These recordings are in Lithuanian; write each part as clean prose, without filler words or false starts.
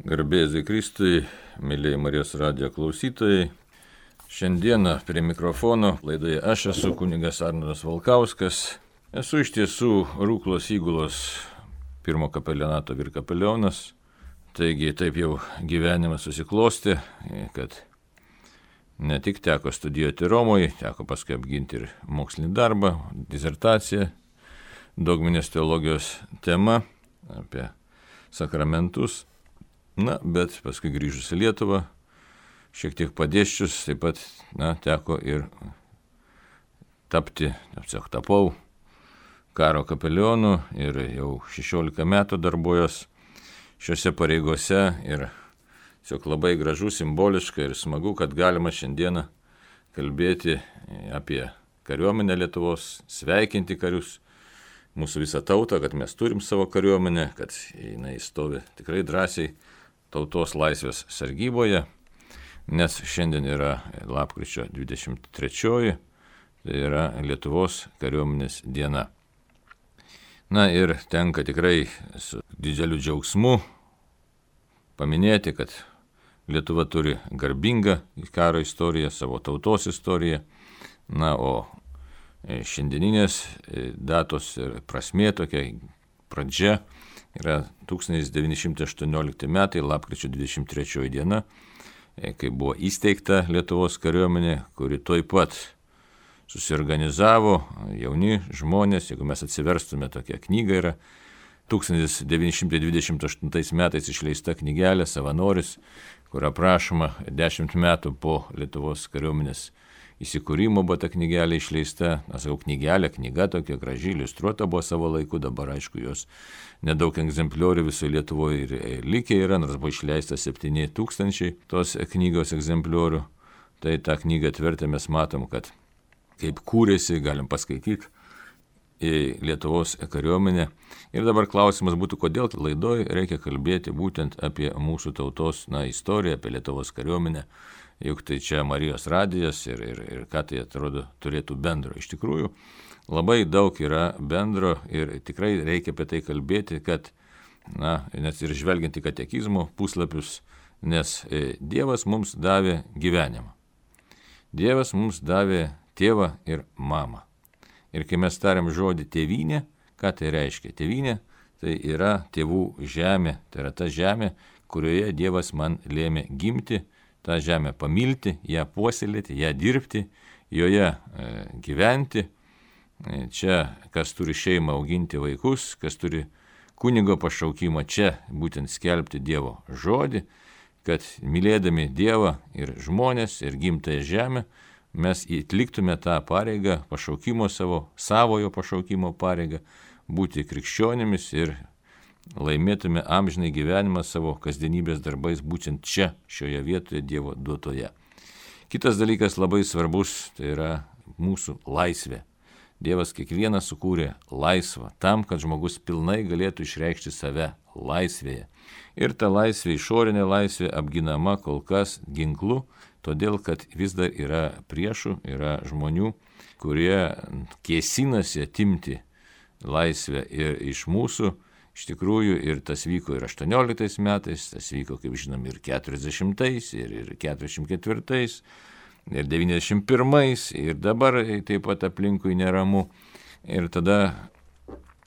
Garbėzui Kristui, mėlyje Marijos radijo klausytojai. Šiandieną prie mikrofono laidoje aš esu kunigas Arnoldas Valkauskas. Esu iš tiesų Rūklos įgulos pirmo kapelionato virkapelionas. Taigi taip jau gyvenimas susiklosti, kad ne tik teko studijuoti Romoje, teko paskui apginti ir mokslinį darbą, disertaciją, dogminės teologijos tema apie sakramentus. Bet paskui grįžus į Lietuvą, šiek tiek padėsčius, taip pat teko ir tapau karo kapelionu ir jau 16 metų darbuojos šiuose pareigose ir tiesiog labai gražu, simboliška ir smagu, kad galima šiandieną kalbėti apie kariuomenę Lietuvos, sveikinti karius, mūsų visą tautą, kad mes turim savo kariuomenę, kad jinai stovi tikrai drąsiai tautos laisvės sargyboje, nes šiandien yra lapkričio 23, tai yra Lietuvos kariuomenės diena. Ir tenka tikrai su dideliu džiaugsmu paminėti, kad Lietuva turi garbingą karo istoriją, savo tautos istoriją, o šiandieninės datos ir prasmė tokia pradžia yra 1918 metai, lapkričio 23 diena, kai buvo įsteigta Lietuvos kariuomenė, kuri tuoj pat susiorganizavo jauni žmonės. Jeigu mes atsiverstume, tokia knyga yra 1928 metais išleista knygelė Savanoris, kur aprašoma 10 metų po Lietuvos kariuomenės įsikūrimo buvo ta knygelė išleista. Knyga tokia graži, iliustruota buvo savo laiku, dabar aišku jos nedaug egzempliorių visoje Lietuvoje ir likę yra, nors buvo išleista 7000 tos knygos egzempliorių. Tai tą knygą atvertę mes matom, kad kaip kūrėsi, galim paskaityti į Lietuvos kariuomenę. Ir dabar klausimas būtų, kodėl laidoje reikia kalbėti būtent apie mūsų tautos istoriją, apie Lietuvos kariuomenę. Juk tai čia Marijos radijas ir ką tai atrodo turėtų bendro. Iš tikrųjų, labai daug yra bendro ir tikrai reikia apie tai kalbėti, kad, nes ir žvelgiant į katekizmo puslapius, nes Dievas mums davė gyvenimą. Dievas mums davė tėvą ir mamą. Ir kai mes tariam žodį tėvynė, ką tai reiškia? Tėvynė tai yra tėvų žemė, tai yra ta žemė, kurioje Dievas man lėmė gimti, tą žemę pamilti, ją puoselėti, ją dirbti, joje gyventi. Čia, kas turi šeimą auginti vaikus, kas turi kunigo pašaukimą, čia būtent skelbti Dievo žodį, kad mylėdami Dievą ir žmonės ir gimtąją žemę, mes atliktume tą pareigą, pašaukimo savojo pašaukimo pareigą, būti krikščionimis ir laimėtume amžinai gyvenimą savo kasdienybės darbais būtent čia, šioje vietoje Dievo duotoje. Kitas dalykas labai svarbus, tai yra mūsų laisvė. Dievas kiekvieną sukūrė laisvą, tam, kad žmogus pilnai galėtų išreikšti save laisvėje. Ir ta laisvė, išorinė laisvė, apginama kol kas ginklu, todėl, kad vis dar yra priešų, yra žmonių, kurie kėsinasi atimti laisvę ir iš mūsų. Iš tikrųjų, ir tas vyko ir 18 metais, tas vyko, kaip žinom, ir 40-ais, ir 44-ais, ir 91-ais, ir dabar taip pat aplinkui neramu. Ir tada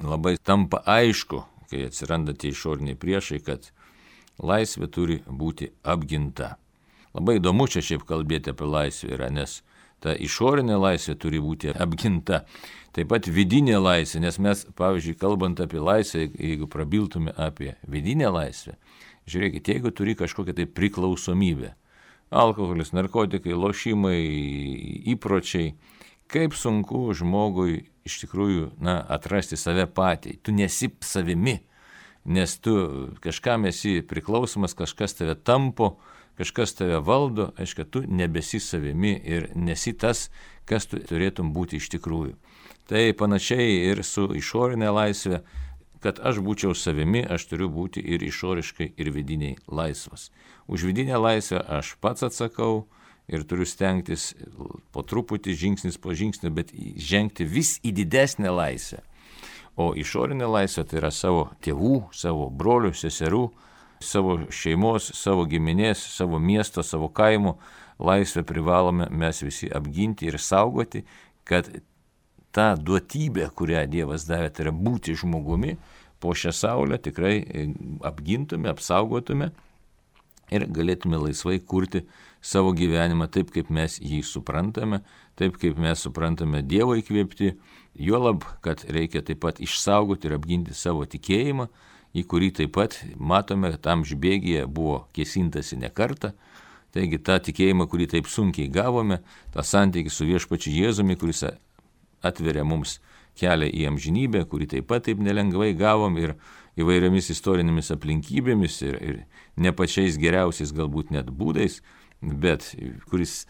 labai tampa aišku, kai atsiranda tie išoriniai priešai, kad laisvė turi būti apginta. Labai įdomu čia šiaip kalbėti apie laisvę yra, nes ta išorinė laisvė turi būti apginta. Taip pat vidinė laisvė, nes mes, pavyzdžiui, kalbant apie laisvę, jeigu prabiltume apie vidinę laisvę, žiūrėkite, jeigu turi kažkokią tai priklausomybę, alkoholis, narkotikai, lošimai, įpročiai, kaip sunku žmogui iš tikrųjų atrasti save patį. Tu nesi savimi, nes tu kažkam esi priklausomas, kažkas tave tampo, kažkas tave valdo, aišku, tu nebesi savimi ir nesi tas, kas tu turėtum būti iš tikrųjų. Tai panašiai ir su išorinė laisvė, kad aš būčiau savimi, aš turiu būti ir išoriškai, ir vidiniai laisvas. Už vidinę laisvę aš pats atsakau ir turiu stengtis po truputį, žingsnis po žingsnio, bet žengti vis į didesnę laisvę. O išorinė laisvė tai yra savo tėvų, savo brolių, seserų savo šeimos, savo giminės, savo miesto, savo kaimo laisvę privalome mes visi apginti ir saugoti, kad ta duotybė, kurią Dievas davė, tai yra būti žmogumi, po šią saulę tikrai apgintume, apsaugotume ir galėtume laisvai kurti savo gyvenimą taip, kaip mes jį suprantame, taip, kaip mes suprantame Dievo įkvėpti, juolab, kad reikia taip pat išsaugoti ir apginti savo tikėjimą, į kurį taip pat matome, kad amžių bėgyje buvo kėsintasi ne kartą. Taigi tą tikėjimą, kurį taip sunkiai gavome, tą santykį su viešpačiu Jėzumi, kuris atveria mums kelią į amžinybę, kurį taip pat taip nelengvai gavom ir įvairiomis istorinėmis aplinkybėmis ir ne pačiais geriausiais galbūt net būdais, bet kuris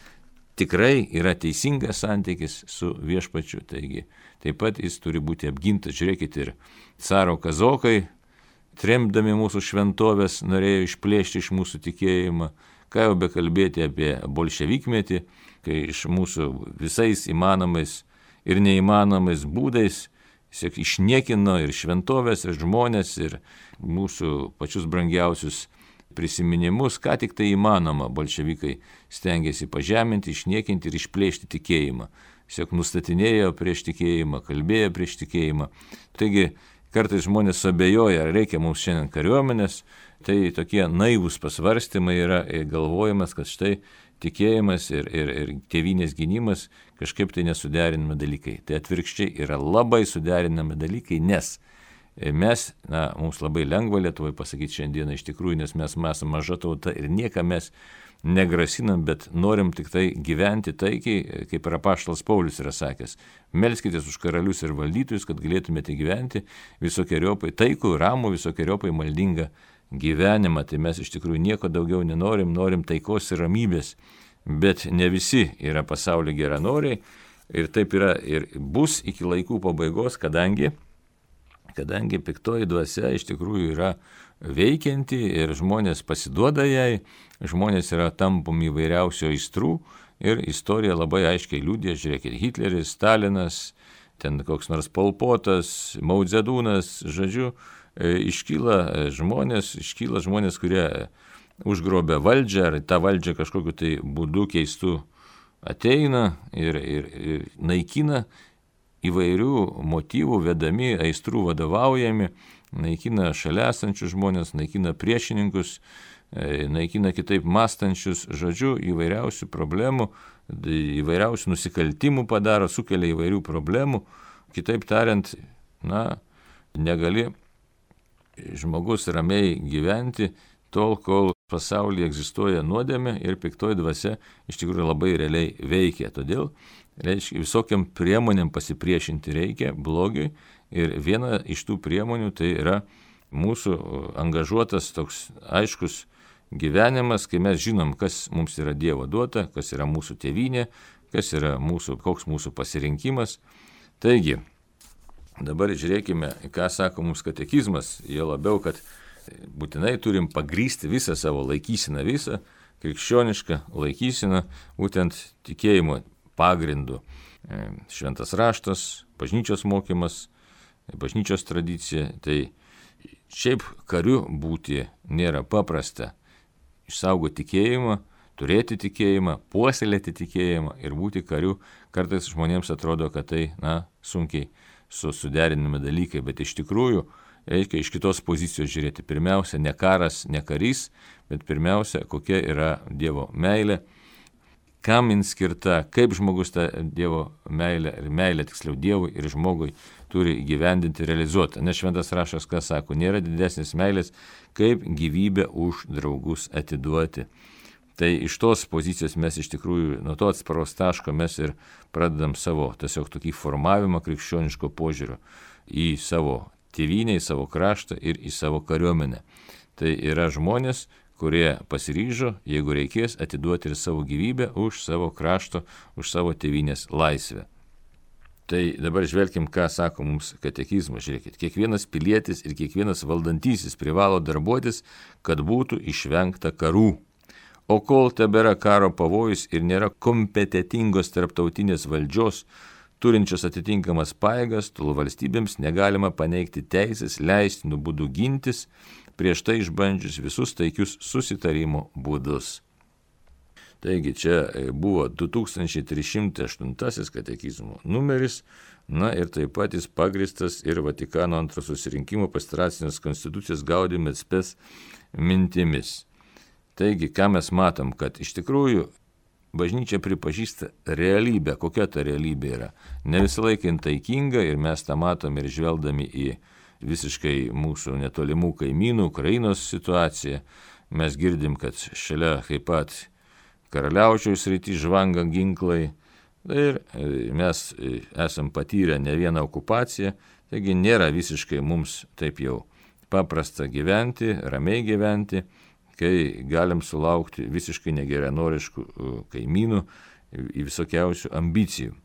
tikrai yra teisingas santykis su viešpačiu. Taigi taip pat jis turi būti apgintas. Žiūrėkit, ir caro kazokai, tremdami mūsų šventovės, norėjo išplėšti iš mūsų tikėjimą. Ką jau bekalbėti apie bolševikmetį, kai iš mūsų visais įmanomais ir neįmanomais būdais išniekino ir šventovės, ir žmonės, ir mūsų pačius brangiausius prisiminimus, ką tik tai įmanoma, bolševikai stengiasi pažeminti, išniekinti ir išplėšti tikėjimą. Tiesiog nustatinėjo prieš tikėjimą, kalbėjo prieš tikėjimą. Taigi kartais žmonės abejoja, ar reikia mums šiandien kariuomenės, tai tokie naivūs pasvarstymai yra galvojimas, kad štai tikėjimas ir tėvynės gynimas kažkaip tai nesuderinami dalykai. Tai atvirkščiai yra labai suderinami dalykai, nes mes, mums labai lengva Lietuvoje pasakyti šiandieną iš tikrųjų, nes mes esame maža tauta ir niekam mes negrasinam, bet norim tik tai gyventi taikiai, kaip ir apaštalas Paulius yra sakęs. Melskitės už karalius ir valdytojus, kad galėtumėte gyventi visokiojopai taikų, ramų, visokiojopai maldingą gyvenimą. Tai mes iš tikrųjų nieko daugiau nenorim, norim taikos ir ramybės, bet ne visi yra pasaulio geranoriai ir taip yra ir bus iki laikų pabaigos, kadangi piktoji dvasia iš tikrųjų yra veikianti ir žmonės pasiduoda jai, žmonės yra tampomi įvairiausio aistrų ir istorija labai aiškiai liudija, žiūrėkit, Hitleris, Stalinas, ten koks nors Pol Potas, Mao Dzedūnas, žodžiu, iškyla žmonės, kurie užgrobia valdžią ar tą valdžią kažkokiu tai būdu keistu ateina ir naikina įvairių motyvų vedami, aistrų vadovaujami, naikina šalia esančius žmonės, naikina priešininkus, naikina kitaip mąstančius, žodžiu, įvairiausių problemų, įvairiausių nusikaltimų padaro, sukelia įvairių problemų. Kitaip tariant, negali žmogus ramiai gyventi tol, kol pasaulyje egzistuoja nuodėmė ir piktoji dvasia iš tikrųjų labai realiai veikia. Todėl reiškia, visokiam priemonėm pasipriešinti reikia blogiui ir viena iš tų priemonių tai yra mūsų angažuotas toks aiškus gyvenimas, kai mes žinom, kas mums yra Dievo duota, kas yra mūsų tėvynė, koks mūsų pasirinkimas. Taigi, dabar žiūrėkime, ką sako mums katekizmas, jo labiau, kad būtinai turim pagrysti visą savo laikyseną, visą krikščionišką laikyseną, būtent tikėjimo pagrindu. Šventas raštas, bažnyčios mokymas, bažnyčios tradicija. Tai šiaip kariu būti nėra paprasta. Išsaugoti tikėjimą, turėti tikėjimą, puoselėti tikėjimą ir būti kariu. Kartais žmonėms atrodo, kad tai sunkiai suderinami dalykai, bet iš tikrųjų reikia iš kitos pozicijos žiūrėti. Pirmiausia, ne karas, ne karys, bet pirmiausia, kokia yra Dievo meilė, kam jin skirta, kaip žmogus tą Dievo meilę, ir meilę tiksliau Dievui ir žmogui turi įgyvendinti, realizuoti. Nes šventas raštas, ką sako, nėra didesnės meilės, kaip gyvybę už draugus atiduoti. Tai iš tos pozicijos mes iš tikrųjų, nuo to atsparos taško mes ir pradedam savo tiesiog tokį formavimą krikščioniško požiūrio į savo tėvynę, į savo kraštą ir į savo kariuomenę. Tai yra žmonės, kurie pasiryžo, jeigu reikės, atiduoti ir savo gyvybę už savo krašto, už savo tėvynės laisvę. Tai dabar žvelkim, ką sako mums katekizmas. Žiūrėkit, kiekvienas pilietis ir kiekvienas valdantysis privalo darbuotis, kad būtų išvengta karų. O kol tebėra karo pavojus ir nėra kompetitingos tarptautinės valdžios, turinčios atitinkamas pajėgas, tol valstybėms negalima paneigti teisės leistinų būdų gintis, prieš tai išbandžius visus taikius susitarimo būdus. Taigi čia buvo 2308 katekizmo numeris, ir taip pat jis pagristas ir Vatikano antro susirinkimo pastoracinės konstitucijos Gaudium et Spes mintimis. Taigi, ką mes matom, kad iš tikrųjų bažnyčia pripažįsta realybę. Kokia ta realybė yra? Ne visą laiką taikinga ir mes tą matom ir žvelgdami į visiškai mūsų netolimų kaimynų, Ukrainos situaciją. Mes girdim, kad šalia taip pat Karaliaučiaus srity žvanga ginklai ir mes esam patyrę ne vieną okupaciją, taigi nėra visiškai mums taip jau paprasta gyventi, ramiai gyventi, kai galim sulaukti visiškai negeranoriškų kaimynų į visokiausių ambicijų.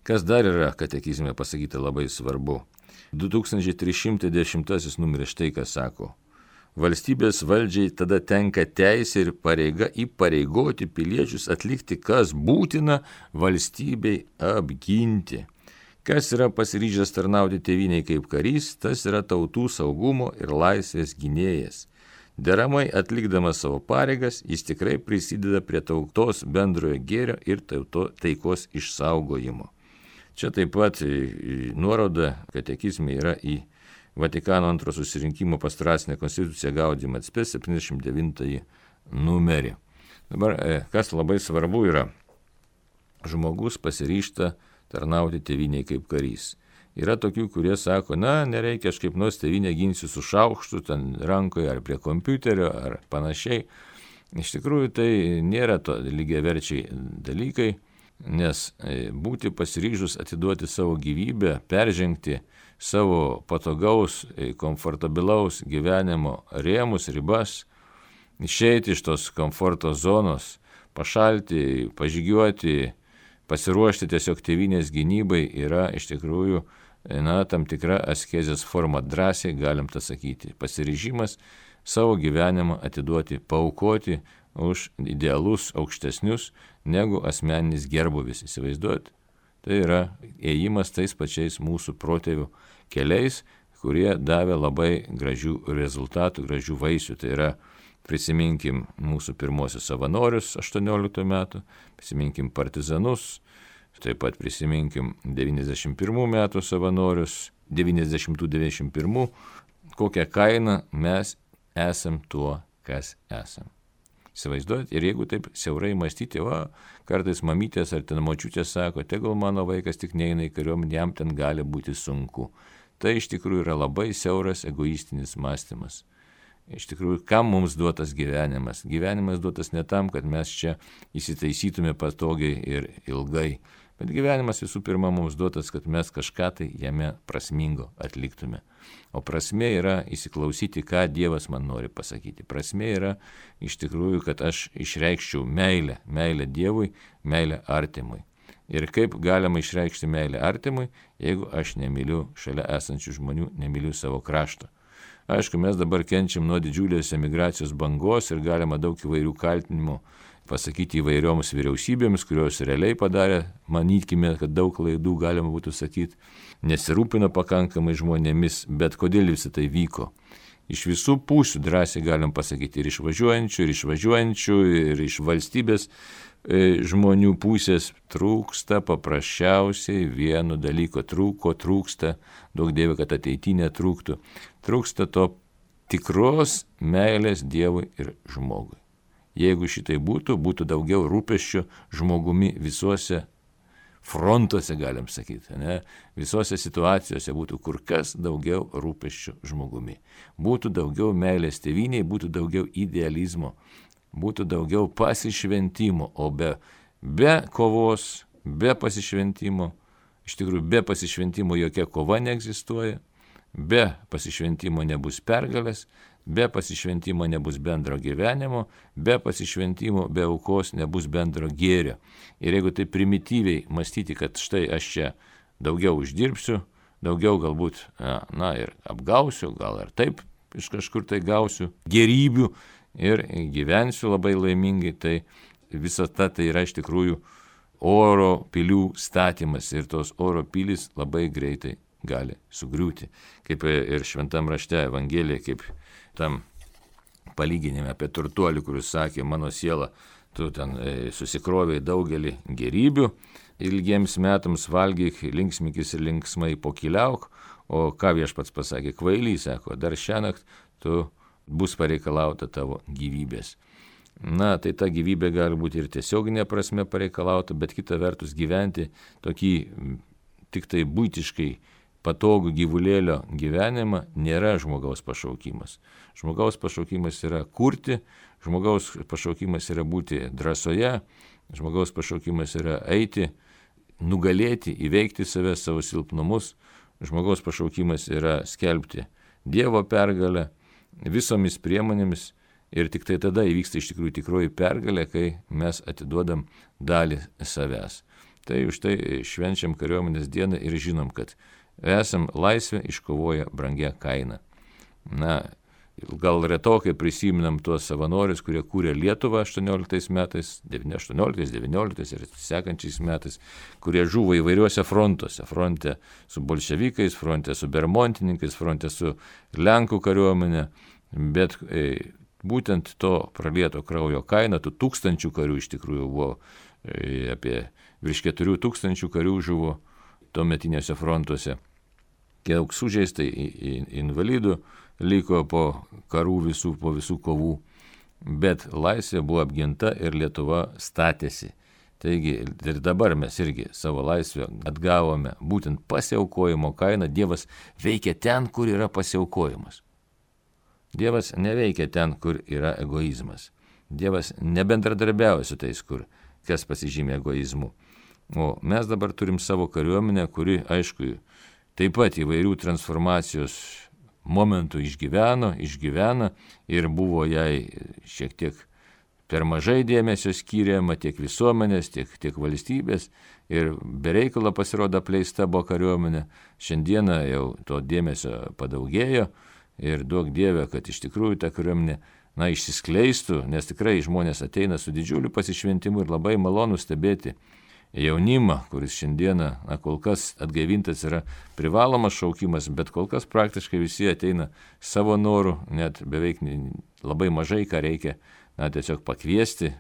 Kas dar yra katekizme pasakyta labai svarbu? 2310 numeris štai ką sako. Valstybės valdžiai tada tenka teisė ir pareiga įpareigoti piliečius atlikti, kas būtina valstybei apginti. Kas yra pasiryžęs tarnauti tėvynei kaip karys, tas yra tautų saugumo ir laisvės gynėjas. Deramai atlikdamas savo pareigas, jis tikrai prisideda prie tautos bendrojo gėrio ir taikos išsaugojimo. Čia taip pat nuoroda katekizme yra į Vatikano antro susirinkimo pastoracinę konstituciją Gaudium et Spes 79 numerį. Dabar, kas labai svarbu yra, žmogus pasiryžta tarnauti tėvynei kaip karys. Yra tokių, kurie sako, nereikia, aš kaip nors tėvynę ginsiu su šaukštu, ten rankoje ar prie kompiuterio ar panašiai. Iš tikrųjų, tai nėra to lygiaverčiai dalykai, nes būti pasiryžus atiduoti savo gyvybę, peržengti savo patogaus, komfortabilaus gyvenimo rėmus, ribas, išeiti iš tos komforto zonos, pašalti, pažygiuoti, pasiruošti tiesiog tėvynės gynybai yra iš tikrųjų tam tikra askezės forma, drąsiai galim tą sakyti. Pasiryžimas savo gyvenimą atiduoti, paaukoti už idealus aukštesnius negu asmeninis gerbūvis, įsivaizduoti. Tai yra ėjimas tais pačiais mūsų protėvių keliais, kurie davė labai gražių rezultatų, gražių vaisių. Tai yra, prisiminkim mūsų pirmosius savanorius 18 metų, prisiminkim partizanus, taip pat prisiminkim 91 metų savanorius, 90-91, kokią kainą mes esam tuo, kas esam. Įsivaizduojat, ir jeigu taip siaurai mąstyti, kartais mamytės ar ten močiutės sako, tegul mano vaikas tik neina į kariuomenę, jam ten gali būti sunku. Tai iš tikrųjų yra labai siauras egoistinis mąstymas. Iš tikrųjų, kam mums duotas gyvenimas? Gyvenimas duotas ne tam, kad mes čia įsitaisytume patogiai ir ilgai, bet gyvenimas visų pirma mums duotas, kad mes kažką tai jame prasmingo atliktume. O prasmė yra įsiklausyti, ką Dievas man nori pasakyti. Prasmė yra iš tikrųjų, kad aš išreikščiau meilę Dievui, meilę artimui. Ir kaip galima išreikšti meilę artimui, jeigu aš nemyliu šalia esančių žmonių, nemyliu savo krašto. Aišku, mes dabar kenčiam nuo didžiulės emigracijos bangos ir galima daug įvairių kaltinimų pasakyti įvairioms vyriausybėms, kurios realiai padarė, manykime, kad daug klaidų galima būtų sakyti, nesirūpino pakankamai žmonėmis, bet kodėl visą tai vyko. Iš visų pusių drąsiai galim pasakyti, ir iš važiuojančių, ir iš valstybės žmonių pusės trūksta paprasčiausiai vieno dalyko, trūksta, daug Dieve, kad ateityje netrūktų, trūksta to tikros meilės Dievui ir žmogui. Jeigu šitai būtų daugiau rūpesčių žmogumi visuose frontuose, galim sakyti, visose situacijose būtų kur kas daugiau rūpesčių žmogumi. Būtų daugiau meilės tėvynei, būtų daugiau idealizmo, būtų daugiau pasišventimo, o be kovos, be pasišventimo, iš tikrųjų be pasišventimo jokia kova neegzistuoja, be pasišventimo nebus pergalės, be pasišventimo nebus bendro gyvenimo, be pasišventimo, be aukos nebus bendro gėrio. Ir jeigu tai primityviai mąstyti, kad štai aš čia daugiau uždirbsiu, daugiau galbūt, ir apgausiu, gal ir taip iš kažkur tai gausiu gėrybių ir gyvensiu labai laimingai, tai visa ta tai yra iš tikrųjų oro pilių statymas ir tos oro pilys labai greitai gali sugriūti. Kaip ir šventam rašte Evangelija, kaip tam palyginime apie turtuolį, kuris sakė, mano siela, tu ten susikrovėjai daugelį gerybių, ilgiems metams valgyk, linksmikis ir linksmai pokyliauk, o ką Viešpats pasakė, kvailį, sako, dar šiąnakt tu bus pareikalauta tavo gyvybės. Na, tai ta gyvybė gali būti ir tiesioginė prasme pareikalauta, bet kita vertus gyventi tokį tik tai buitiškai patogų gyvulėlio gyvenimą nėra žmogaus pašaukimas. Žmogaus pašaukimas yra kurti, žmogaus pašaukimas yra būti drąsoje, žmogaus pašaukimas yra eiti, nugalėti, įveikti save, savo silpnumus, žmogaus pašaukimas yra skelbti Dievo pergalę visomis priemonėmis ir tik tai tada įvyksta iš tikrųjų tikroji pergalė, kai mes atiduodam dalį savęs. Tai už tai švenčiam kariuomenės dieną ir žinom, kad esam laisvę iškovoję brangia kaina. Na, gal retokai prisiminam tuos savanorius, kurie kūrė Lietuvą 18 metais, 18, 19 ir sekančiais metais, kurie žuvo įvairiuose frontuose. Fronte su bolševikais, fronte su bermontininkais, fronte su Lenkų kariuomenė. Bet būtent to pralieto kraujo kaina, tų 1000 karių iš tikrųjų buvo, apie virš 4000 karių žuvo tuometinėse frontuose. Kiek sužeistai invalidų liko po karų po visų kovų, bet laisvė buvo apginta ir Lietuva statėsi. Taigi ir dabar mes irgi savo laisvę atgavome būtent pasiaukojimo kainą. Dievas veikia ten, kur yra pasiaukojimas. Dievas neveikia ten, kur yra egoizmas. Dievas nebendradarbiauja su tais, kas pasižymė egoizmu. O mes dabar turim savo kariuomenę, kuri, aišku, taip pat įvairių transformacijos momentų išgyvena ir buvo jai šiek tiek per mažai dėmesio skiriama tiek visuomenės, tiek valstybės ir bereikalo pasirodo apleista buvo kariuomenė. Šiandieną jau to dėmesio padaugėjo ir duok Dieve, kad iš tikrųjų ta kariuomenė išsiskleistų, nes tikrai žmonės ateina su didžiuliu pasišventimu ir labai malonu stebėti jaunimą, kuris šiandieną kol kas atgaivintas yra privalomas šaukimas, bet kol kas praktiškai visi ateina savo norų, net beveik labai mažai ką reikia tiesiog pakviesti,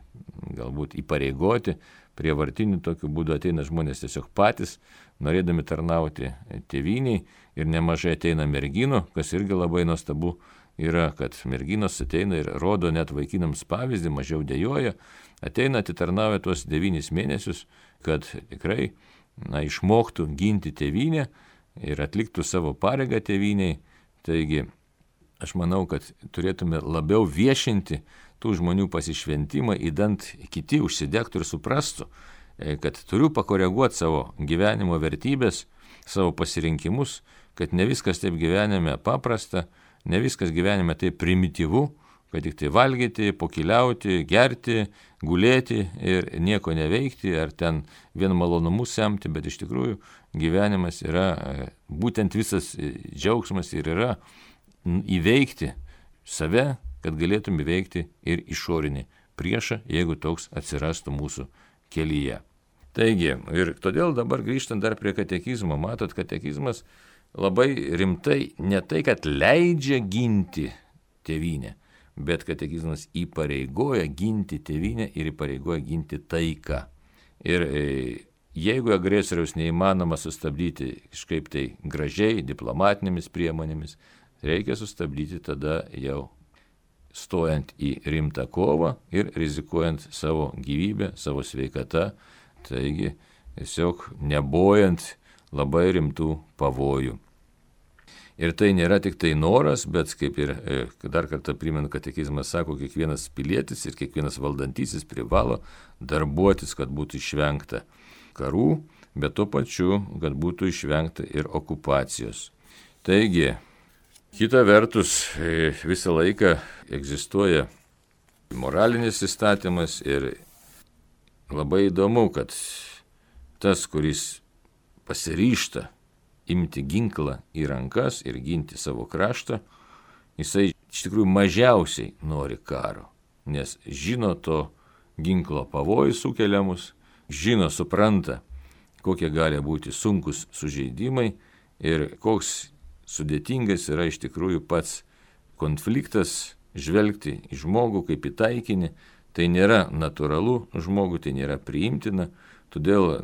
galbūt įpareigoti, prievartiniu tokiu būdu ateina žmonės tiesiog patys, norėdami tarnauti tėvynei ir nemažai ateina merginų, kas irgi labai nuostabu yra, kad merginos ateina ir rodo net vaikinams pavyzdį, mažiau dejuoja, ateina atitarnauja tuos 9 mėnesius, kad tikrai išmoktų ginti tėvynę ir atliktų savo pareigą tėvyniai. Taigi aš manau, kad turėtume labiau viešinti tų žmonių pasišventimą, idant kiti užsidegtų ir suprastų, kad turiu pakoreguoti savo gyvenimo vertybės, savo pasirinkimus, kad ne viskas taip gyvenime paprasta, ne viskas gyvenime taip primityvu, kad tik tai valgyti, pokyliauti, gerti, gulėti ir nieko neveikti, ar ten vien malonumus semti, bet iš tikrųjų gyvenimas yra, būtent visas džiaugsmas ir yra įveikti save, kad galėtum įveikti ir išorinį priešą, jeigu toks atsirastų mūsų kelyje. Taigi, ir todėl dabar grįžtant dar prie katekizmo, matot, katekizmas labai rimtai ne tai, kad leidžia ginti tėvynę, bet katekizmas įpareigoja ginti tėvynę ir įpareigoja ginti taiką. Ir jeigu agresoriaus neįmanoma sustabdyti kažkaip tai gražiai, diplomatinėmis priemonėmis, reikia sustabdyti tada jau stojant į rimtą kovą ir rizikuojant savo gyvybę, savo sveikatą, taigi tiesiog nebojant labai rimtų pavojų. Ir tai nėra tik tai noras, bet kaip ir dar kartą primenu, katekizmas sako, kiekvienas pilietis ir kiekvienas valdantysis privalo darbuotis, kad būtų išvengta karų, bet tuo pačiu, kad būtų išvengta ir okupacijos. Taigi, kita vertus, visą laiką egzistuoja moralinis įstatymas ir labai įdomu, kad tas, kuris pasiryžta imti ginklą į rankas ir ginti savo kraštą, jisai iš tikrųjų mažiausiai nori karo, nes žino to ginklo pavojus sukeliamus, žino, supranta, kokie gali būti sunkus sužeidimai ir koks sudėtingas yra iš tikrųjų pats konfliktas, žvelgti į žmogų kaip į taikinį, tai nėra natūralu žmogui, tai nėra priimtina, todėl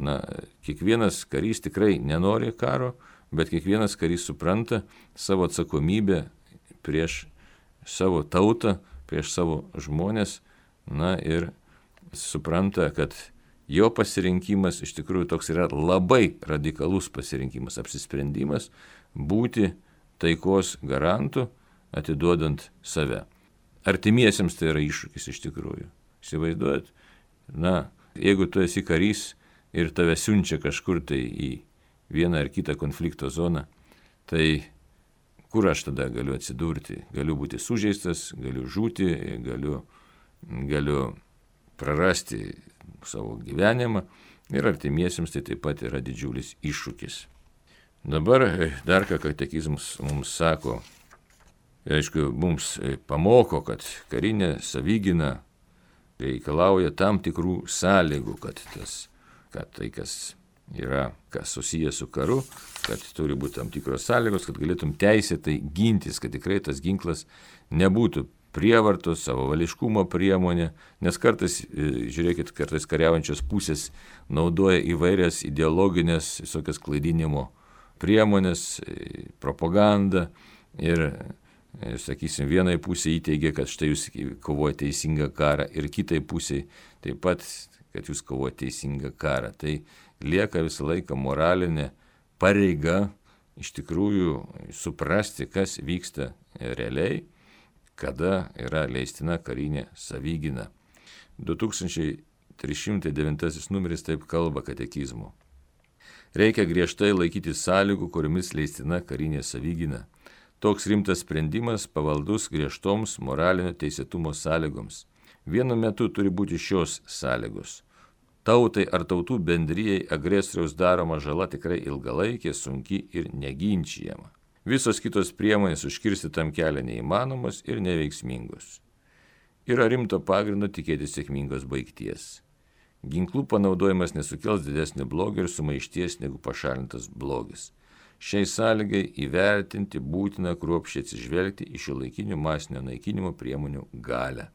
kiekvienas karys tikrai nenori karo, bet kiekvienas karys supranta savo atsakomybę prieš savo tautą, prieš savo žmonės, ir supranta, kad jo pasirinkimas iš tikrųjų toks yra labai radikalus pasirinkimas, apsisprendimas būti taikos garantu, atiduodant save. Artimiesiems tai yra iššūkis iš tikrųjų. Įsivaizduojat, jeigu tu esi karys ir tave siunčia kažkur tai į vieną ar kitą konflikto zoną, tai kur aš tada galiu atsidurti? Galiu būti sužeistas, galiu žūti, galiu prarasti savo gyvenimą ir artimiesiems tai taip pat yra didžiulis iššūkis. Dabar dar ką katekizmas mums sako, aišku, mums pamoko, kad karinė savigyna reikalauja tam tikrų sąlygų, kad tai, kas yra susijęs su karu, kad turi būti tam tikros sąlygos, kad galėtum teisėtai gintis, kad tikrai tas ginklas nebūtų prievartos, savavališkumo priemonė, nes kartais kariaujančios pusės naudoja įvairias ideologinės, visokias klaidinimo priemonės, propagandą ir, sakysim, vienai pusė įteigia, kad štai jūs kovojate teisingą karą ir kitai pusė taip pat, kad jūs kovojate teisingą karą. Tai lieka visą laiką moralinė pareiga iš tikrųjų suprasti, kas vyksta realiai, kada yra leistina karinė savigyna. 2309 numeris taip kalba katekizmo. Reikia griežtai laikyti sąlygų, kuriomis leistina karinė savigyna. Toks rimtas sprendimas pavaldus griežtoms moralinio teisėtumo sąlygoms. Vienu metu turi būti šios sąlygos. Tautai ar tautų bendrijai agresoriaus daroma žala tikrai ilgalaikė, sunki ir neginčijama. Visos kitos priemonės užkirsti tam kelią neįmanomos ir neveiksmingos. Yra rimto pagrindo tikėtis sėkmingos baigties. Ginklų panaudojimas nesukels didesnio blogio ir sumaišties negu pašalintas blogis. Šiai sąlygai įvertinti būtina kruopščiai atsižvelgti į šiuolaikinių masinio naikinimo priemonių galią.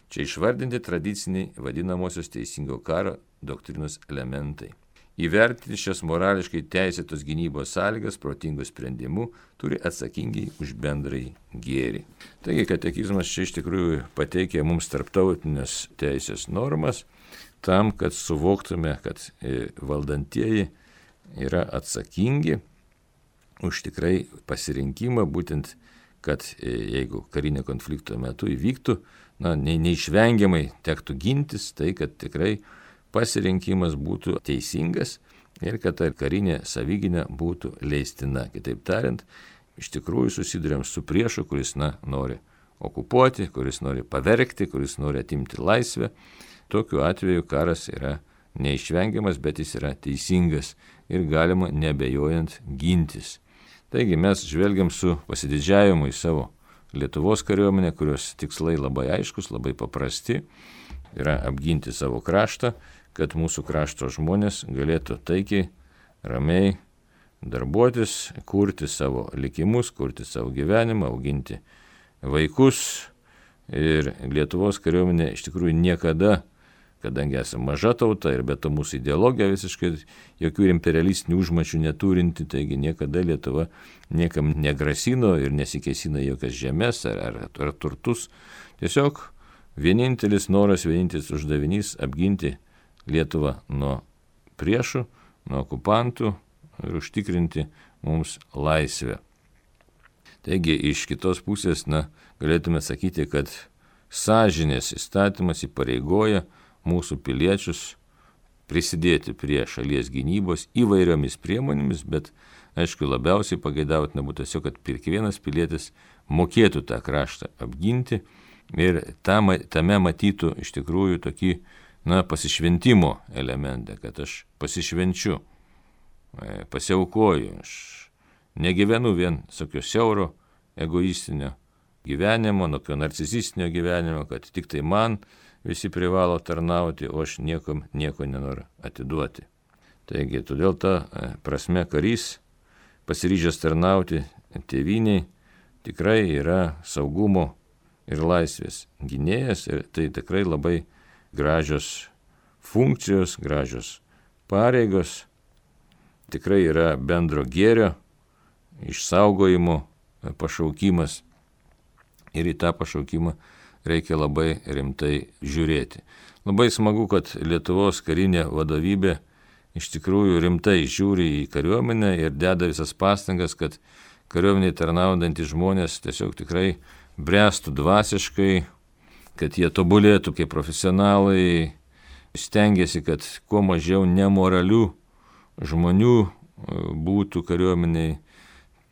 Čia išvardinti tradiciniai vadinamosios teisingo karo doktrinos elementai. Įvertinti šias morališkai teisėtos gynybos sąlygas protingų sprendimų turi atsakingai už bendrąjį gėrį. Taigi katekizmas čia iš tikrųjų pateikia mums tarptautinės teisės normas tam, kad suvoktume, kad valdantieji yra atsakingi už tikrai pasirinkimą, būtent, kad jeigu karinio konflikto metu įvyktų, neišvengiamai tektų gintis, tai kad tikrai pasirinkimas būtų teisingas ir kad ta karinė savigyna būtų leistina. Kitaip tariant, iš tikrųjų susiduriam su priešu, kuris nori okupuoti, kuris nori pavergti, kuris nori atimti laisvę. Tokiu atveju karas yra neišvengiamas, bet jis yra teisingas ir galima nebejojant gintis. Taigi mes žvelgiam su pasididžiavimu į savo Lietuvos kariuomenę, kurios tikslai labai aiškus, labai paprasti, yra apginti savo kraštą, kad mūsų krašto žmonės galėtų taikiai, ramiai darbuotis, kurti savo likimus, kurti savo gyvenimą, auginti vaikus. Ir Lietuvos kariuomenė iš tikrųjų niekada, kadangi esame maža tauta ir be to mūsų ideologija visiškai jokių imperialistinių užmačių neturinti, taigi niekada Lietuva niekam negrasino ir nesikėsino jokias žemės ar turtus. Tiesiog vienintelis noras, vienintelis uždavinys apginti Lietuvą nuo priešų, nuo okupantų ir užtikrinti mums laisvę. Taigi iš kitos pusės galėtume sakyti, kad sąžinės įstatymas įpareigoja mūsų piliečius prisidėti prie šalies gynybos įvairiomis priemonėmis, bet aišku labiausiai pageidautina būtų tiesiog, kad kiekvienas pilietis mokėtų tą kraštą apginti ir tame matytų iš tikrųjų tokį pasišventimo elementą, kad aš pasišvenčiu, pasiaukoju, aš negyvenu vien tokio siauro egoistinio gyvenimo, tokio narcisistinio gyvenimo, kad tik tai man visi privalo tarnauti, o aš niekam nieko nenoriu atiduoti. Taigi, todėl ta prasme karys, pasiryžęs tarnauti tėvyniai, tikrai yra saugumo ir laisvės gynėjas, ir tai tikrai labai gražios funkcijos, gražios pareigos, tikrai yra bendro gėrio išsaugojimo pašaukimas, ir į tą pašaukimą reikia labai rimtai žiūrėti. Labai smagu, kad Lietuvos karinė vadovybė iš tikrųjų rimtai žiūri į kariuomenę ir deda visas pastangas, kad kariuomeniai tarnaudantys žmonės tiesiog tikrai bręstų dvasiškai, kad jie tobulėtų kaip profesionalai, stengiasi, kad kuo mažiau nemoralių žmonių būtų kariuomeniai,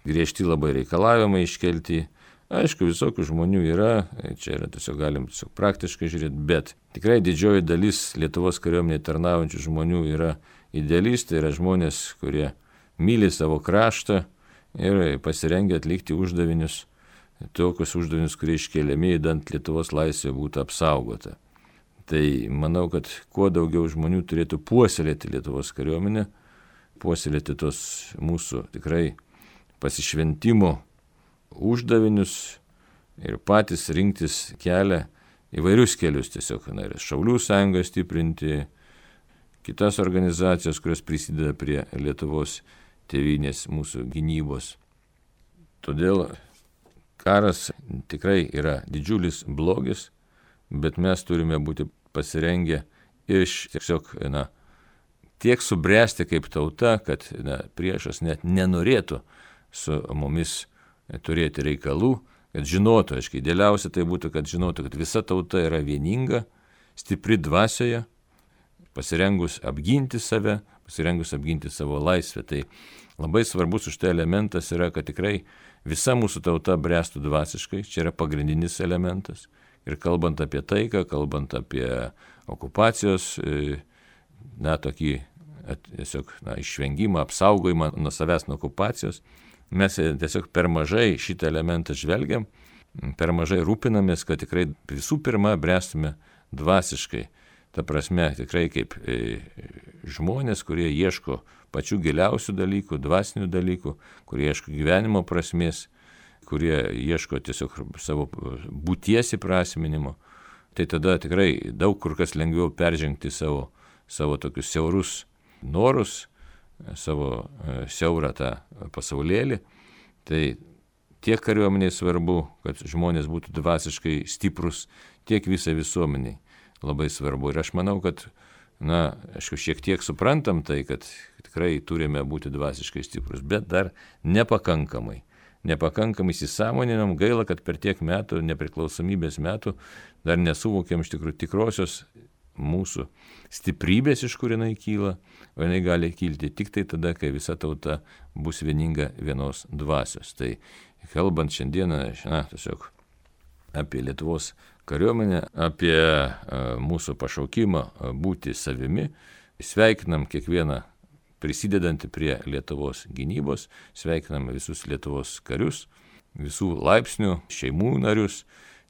griežti labai reikalavimai iškelti. Aišku, visokių žmonių yra, čia yra tiesiog galim tiesiog praktiškai žiūrėti, bet tikrai didžioji dalis Lietuvos kariuomeniai tarnaujančių žmonių yra idealistai, yra žmonės, kurie myli savo kraštą ir pasirengia atlikti uždavinius, tokius uždavinius, kurie iškeliami, idant Lietuvos laisvė būtų apsaugota. Tai manau, kad kuo daugiau žmonių turėtų puoselėti Lietuvos kariuomenę, puoselėti tos mūsų tikrai pasišventimo uždavinius ir patys rinktis kelią, įvairius kelius tiesiog, ir Šaulių sąjungą stiprinti, kitas organizacijas, kurios prisideda prie Lietuvos tėvynės mūsų gynybos. Todėl karas tikrai yra didžiulis blogis, bet mes turime būti pasirengę tiesiog tiek subręsti kaip tauta, kad priešas net nenorėtų su mumis turėti reikalų, kad žinotų, aiškiai, idealiausia tai būtų, kad žinotų, kad visa tauta yra vieninga, stipri dvasioje, pasirengus apginti save, pasirengus apginti savo laisvę. Tai labai svarbus už tai elementas yra, kad tikrai visa mūsų tauta bręstų dvasiškai, čia yra pagrindinis elementas. Ir kalbant apie taiką, kalbant apie okupacijos, tokį tiesiog išvengimą, apsaugojimą nuo savęs nuo okupacijos, mes tiesiog per mažai šitą elementą žvelgiam, per mažai rūpinamės, kad tikrai visų pirma bręstume dvasiškai. Ta prasme, tikrai kaip žmonės, kurie ieško pačių giliausių dalykų, dvasinių dalykų, kurie ieško gyvenimo prasmės, kurie ieško tiesiog savo būties įprasminimo, tai tada tikrai daug kur kas lengviau peržengti savo tokius siaurus norus, savo siaurą tą pasaulėlį. Tai tiek kariuomeniai svarbu, kad žmonės būtų dvasiškai stiprus, tiek visai visuomeniai labai svarbu. Ir aš manau, kad, aišku, šiek tiek suprantam tai, kad tikrai turime būti dvasiškai stiprus, bet dar nepakankamai įsisąmoninam. Gaila, kad per tiek metų, nepriklausomybės metų, dar nesuvokiam iš tikrųjų tikrosios mūsų stiprybės, iš kur jinai kyla, o jinai gali kilti tik tai tada, kai visa tauta bus vieninga vienos dvasios. Tai kalbant šiandieną, tiesiog apie Lietuvos kariuomenę, apie mūsų pašaukimą būti savimi, sveikinam kiekvieną prisidedantį prie Lietuvos gynybos, sveikinam visus Lietuvos karius, visų laipsnių, šeimų narius.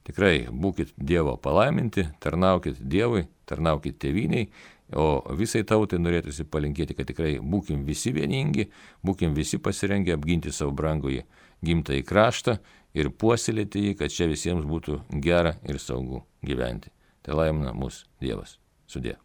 Tikrai būkit Dievo palaiminti, tarnaukit Dievui, tarnaukit tėvyniai, o visai tautai norėtųsi palinkėti, kad tikrai būkim visi vieningi, būkim visi pasirengę apginti savo brangųjį gimtąjį kraštą ir puoselėti jį, kad čia visiems būtų gera ir saugu gyventi. Tai laimina mus Dievas. Sudie.